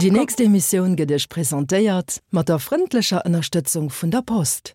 Déi nächst Emissioun gëtt Iech presentéiert mat der frëndlecher Ënnerstëtzung vun der Post.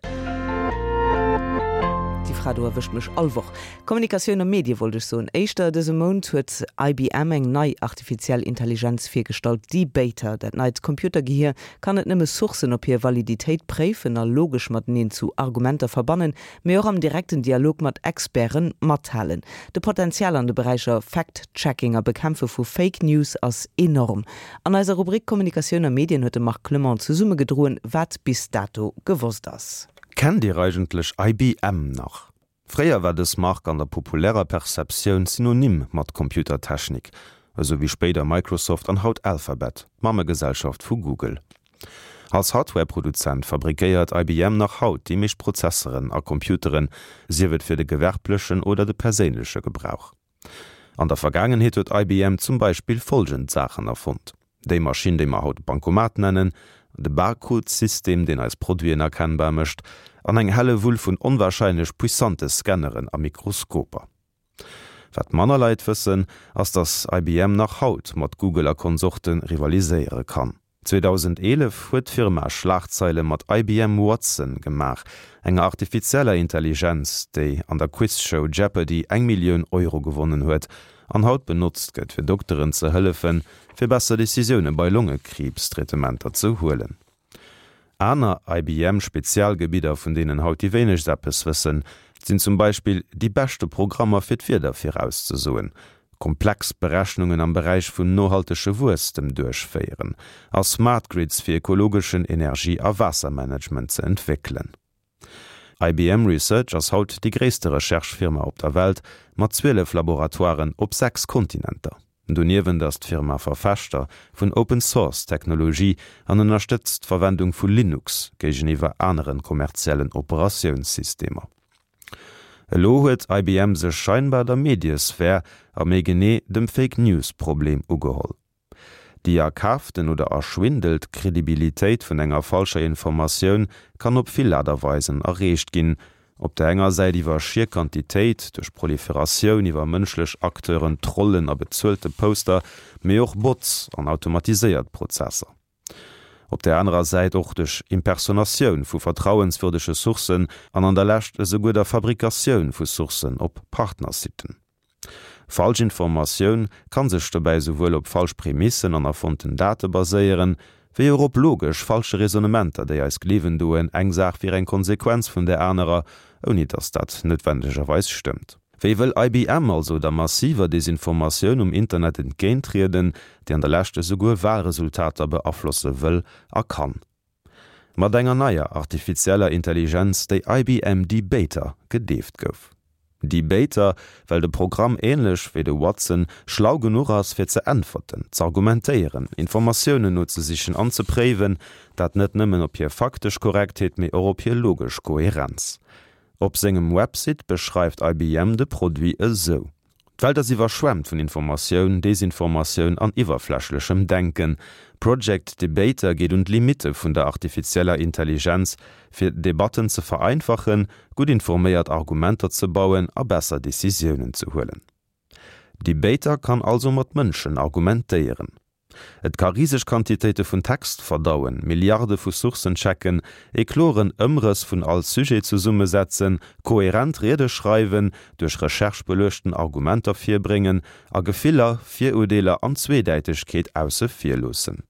Déi Fra do erwëscht mech all Woch. Kommunikatioun a Medie wollt ech soen. Éischter dëse Mount huet IBM eng nei artifiziell Intelligenz virgestallt, Debater. Dat neit Computergehier kann net nëmme Sourcen op hir Validitéit préifen a logesch mateneen zu Argumenter verbannen, mee och am direkten Dialog mat Experte mathalen. De Potenzial an de Beräicher Fact-Checking a Bekämpfe vu Fake News ass enorm. An eiser Rubrik Kommunikatioun a Medien huet de Marc Clement zesummegedroen, wat bis dato gewosst ass. Kennt Dir eigentlech IBM nach? Fréier war dës Mark an der populärer Perceptioun synonym mat Computertechnik, esou wéi spéider Microsoft an haut Alphabet, d'Mammegesellschaft vu Google. Als Hardware-Produzent fabrikéiert IBM nach haut déi meescht Prozesseren a Computeren, sief et fir de gewerblechen oder de perséinleche Gebrauch. An der Vergaangenheet huet IBM zum Beispill follgend Saachen erfonnt, déi Maschinn, déi mer haut Bankomat nennen, de Barcode-System, deen eis Produiten erkennbar mécht, an eng Hellewull vun onwarscheinlech puissante Scanneren a Mikroskoper. Wat manner Leit wëssen, ass datt IBM nach haut mat Google a Konsorte rivaliséiere kann. 2011 huet d'Firma Schlagzeile mat IBM Watson gemaach, enger artifizieller Intelligenz, déi an der Quizshow Jeopardy eng Millioun Euro gewonnen huet an haut benotzt gëtt fir Dokteren ze hëllefen, fir besser Decisioune bei Longekriibs-Traitementer ze huelen. Aner IBM-Spezialgebidder, vun deenen haut déi wéinegst eppes wëssen, sinn zum Beispill déi beschte Programmer fir d'Wieder virauszesoen, komplex Berechnungen am Beräich vun nohaltege Wuesstem duerchféieren a Smart Grids fir ekologeschen Energie a Waassermanagement ze entwéckelen. IBM Research ass haut déi gréisste Recherche-Firma op der Welt mat 12 Laboratoiren op 6 Kontinenter. Doniewent ass d'Firma Verfechter vun Open-Source-Technologie an ënnerstëtzt d'Verwendung vu Linux géigeniwwer anere kommerziellen Operatiounssystemer. Elo huet IBM sech scheinbar der Mediesphär a méi genee dem Fake-News-Problem ugeholl. Déi erkaaften oder erschwindelt Kredibilitéit vun enger falscher Informatioun kann op vill Aart a Weisen erreecht ginn, op der enger Säit iwwer schier Quantitéit, duerch Proliferatioun iwwer mënschlech Acteuren, Trollen a bezuelte Poster, mee och Bots an automatiséiert Prozesser. Op der anerer Säit och duerch Impersonatioun vu vertrauenswürdege Sourcen an an der Lescht esouguer der Fabrikatioun vu Sourcen op Partnersiten. Falsch Informatioun kann sech dobäi souwuel op falsch Prämissen an erfonnten Date baséieren, wéi och op logesch falsche Raisonnementer, déi eis gleewen doen, eng Saach wier eng Konsequenz vun där anerer, ouni datt dat noutwendegerweis stëmmt. Wéi wëll IBM also der massiver Desinformatioun um Internet entgéinttrieden, déi an der Lescht esouguer Wahlresultater beaflosse wëll a kann? Mat enger neier artifizieller Intelligenz, déi IBM Debater gedeeft gouf. Debater, well de Programm änlech wéi de Watson schlau genuch ass fir ze äntwerten, z'argumentéieren, Informatiounen nozesichen an ze préiwen, dat net nëmmen op hir faktesch Korrektheet, mee och op hir logesch Koherenz. Op sengem Website beschreift IBM de Produit esou. D'Welt ass iwwerschwemmt vun Informatioun, Desinformatioun an iwwerflächlechem Denken. Project Debater geet un d'Limitte vun der artifizieller Intelligenz, fir Debatten ze vereinfachen, gutt informéiert Argumenter ze bauen a besser Decisiounen ze huelen. Debater kann also mat Mënschen argumentéieren. Et ka riseg Quantitéite vun Text verdauen, Milliarde vu Sourcen checken, ee kloren Ëmrëss vun all Sujet zesummesetzen, koherent Riede schreiwen, duerch Recherche beluechten Argumenter virbréngen a Gefiller, Virurdeeler an Zweedäitegkeet ausse vir loossen.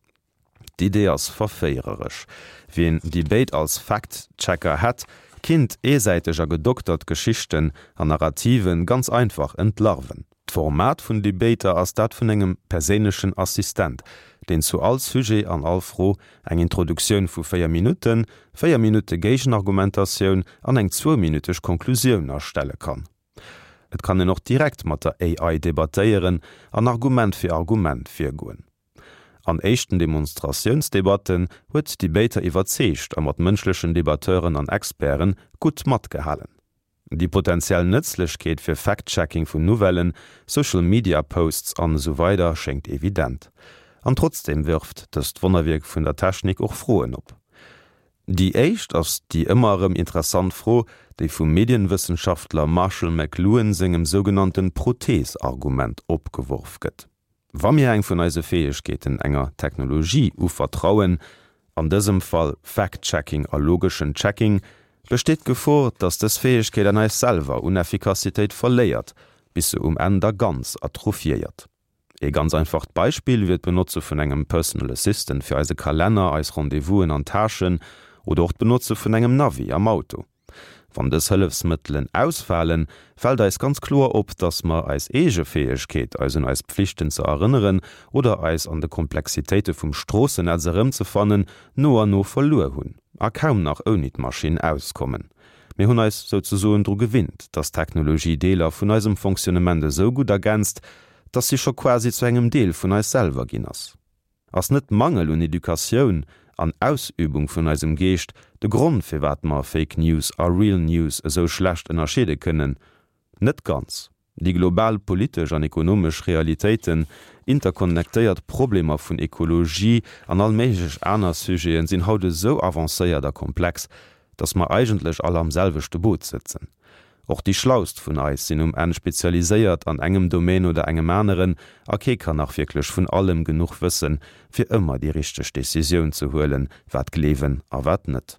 D'Idee ass verféiereresch. Wien déi béid als Fact-Checker hätt, kinnt eesäiteg a gedoktert Geschichten an Narrativen ganz einfach entlarven. D'Format vun Debater ass dat vun engem perséinlechen Assistent, deen zu all Sujet an all Fro eng Introduktioun vu 4 Minutten, 4 Minutte Géigenargumentatioun an eng zwouminüteg Konklusioun erstelle kann. Et kann een och direkt mat der AI debattéieren an Argument fir Argument virgoen. An éischten Demonstratiounsdebatten huet Debater iwwerzeegt a mat mënschlechen Debatteuren an Experte gutt matgehalen. Déi potentiell Nëtzlechkeet fir Fact-Checking vun Nouvellen, Social Media Posts an esou weider schéngt evident. An trotzdeem wërft dëst Wonnerwierk vun der Technik och Froen op. Déi éischt ass déi ëmmer erëm interessant Fro, déi vum Medienwëssenschaftler Marshall McLuhan sengem sougenannten Prothees-Argument opgeworf gëtt. Wa mir eng vun eise Fäegkeeten enger Technologie uvertrauen, an dësem Fall Fact-Checking a logeschen Checking, besteet d'Gefor, dass dës Fäegkeet an eis selwer un Effikassitéit verléiert, bis se um Enn da ganz atrophiéiert. Ee ganz einfacht Beispill wier d'Benotze vun engem Personal Assistant fir eise Kalenner, eis Rendez-vousen an Tâchen oder och d'Benotze vun engem Navi am Auto. Wann dës Hëllefsmëttelen ausfalen, fält eis ganz kloer op, dass mer eis eege Fäegkeet, eis un eis Pflichten ze erënneren oder eis an de Komplexitéite vum Stroossennetz erëmzefannen, no an no verluer hunn a kaum nach ouni d'Maschinn auskommen. Mir hunn eis souzesoen dru gewinnt, dass d'Technologie Deeler vun eisem Fonctionnement esou gutt ergänzt, dass si scho quasi zu engem Deel vun eis selwer ginn ass. Ass net Mangel un Educatioun an Ausübung vun eisem Geescht de Grond firwat mer Fake News a Real News esou schlecht ënnerscheede kënnen? Net ganz. Déi global politesch an ekonomesch Realitéiten, interkonnektéiert Problemer vun Ekologie an all méiglech aner Sujeten sinn haut esou avancéiert a komplex, dass mer eigentlech all am selwechte Boot sëtzen. Och déi Schlaust vun eis sinn um Enn spezialiséiert an engem Domaine oder engem aneren a kee kann nach wierklech vun allem genuch wëssen, fir ëmmer déi richteg Decisioun ze huelen, wat gleewen a wat net.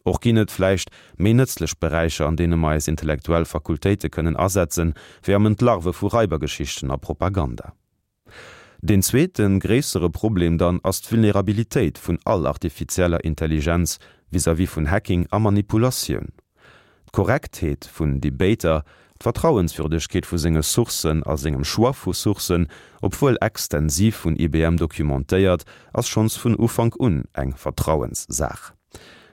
Och ginn et vläicht méi nëtzlech Beräicher, an deene mer eis intellektuell Fakultéite kënnen asetzen, wéi am Entlarve vu Raibergeschichten a Propaganda. Deen zweeten, gréissere Problem dann ass d'Vulnerabilitéit vun all artifizieller Intelligenz vis-à-vis vun Hacking a Manipulatioun. D'Korrektheet vun Debater, d'Vertrauenswürdegkeet vu senge Sourcen a sengem Choix vu Sourcen, obwuel extensiv vun IBM documentéiert, ass schonns vun Ufank un eng Vertrauenssaach.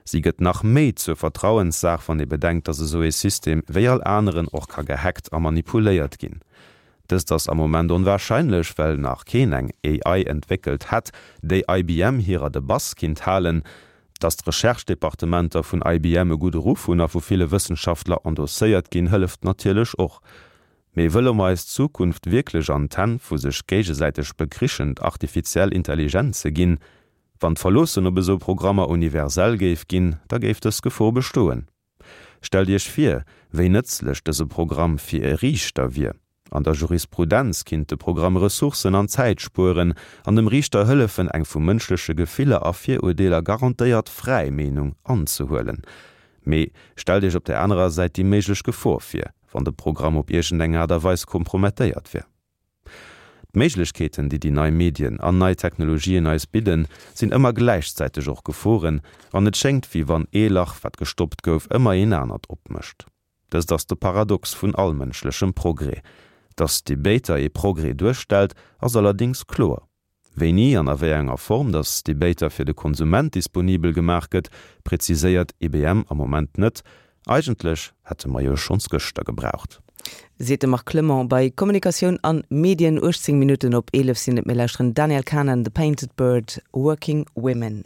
Si gëtt nach méi zur Vertrauenssaach, wann ee bedenkt, dass esou ee System wéi all aneren och ka gehackt a manipuléiert ginn. Dëst ass am Moment onwahrscheinlech, well nach keen eng AI entwéckelt hätt, déi IBM hirer de Bass kinnt halen. Datt d'Recherche-Departementer vun IBM e gudde Ruff hunn a vu ville Wëssenschaftler endosséiert ginn, hëlleft natierlech och. Mee wëlle mer eis Zukunft wierklech an d'Hänn vu sech géigesäiteg bekrichend artifiziell Intelligenze ginn? Wann d'Verloossen op esou Programmer universell géif ginn, da géif dës Gefor bestoen. Stellt Iech vir, wéi nëtzlech dëse Programm fir e Riichter wier. An der Jurisprudenz kinnt de Programm Ressourcen an Zäit spueren an dem Riichter hëllefen, eng vu mënschleche Gefiller a Virurdeeler garantéiert fräi Meenung anzehuelen. Mee stellt Iech op der anerer Säit déi méiglech Gefor vir, wann de Programm op iergendeng Aart a Weis kompromettéiert wier. D'Méiglechkeeten, déi déi nei Medien an nei Technologien eis bidden, sinn ëmmer gläichzäiteg och Geforen, an et schéngt, wéi wann ee Lach, wat gestoppt gouf, ëmmer een anert opmécht. Dëst ass de Paradox vun all mënschlechem Progrès. Dass Debater ee Progrès duerstellt, ass allerdéngs kloer. Wéini an a wéi enger Form dass Debater fir de Konsument disponibel gemaach gëtt, präziséiert IBM am Moment net. Eigentlech hätte mer jo schonns gëschter gebraucht. Seet de Marc Clement bei Kommunikatioun an Medien. 18 Minutten op 11 sinn et. Mir lauschteren Daniel Kahneman, The Painted Bird, Working Women.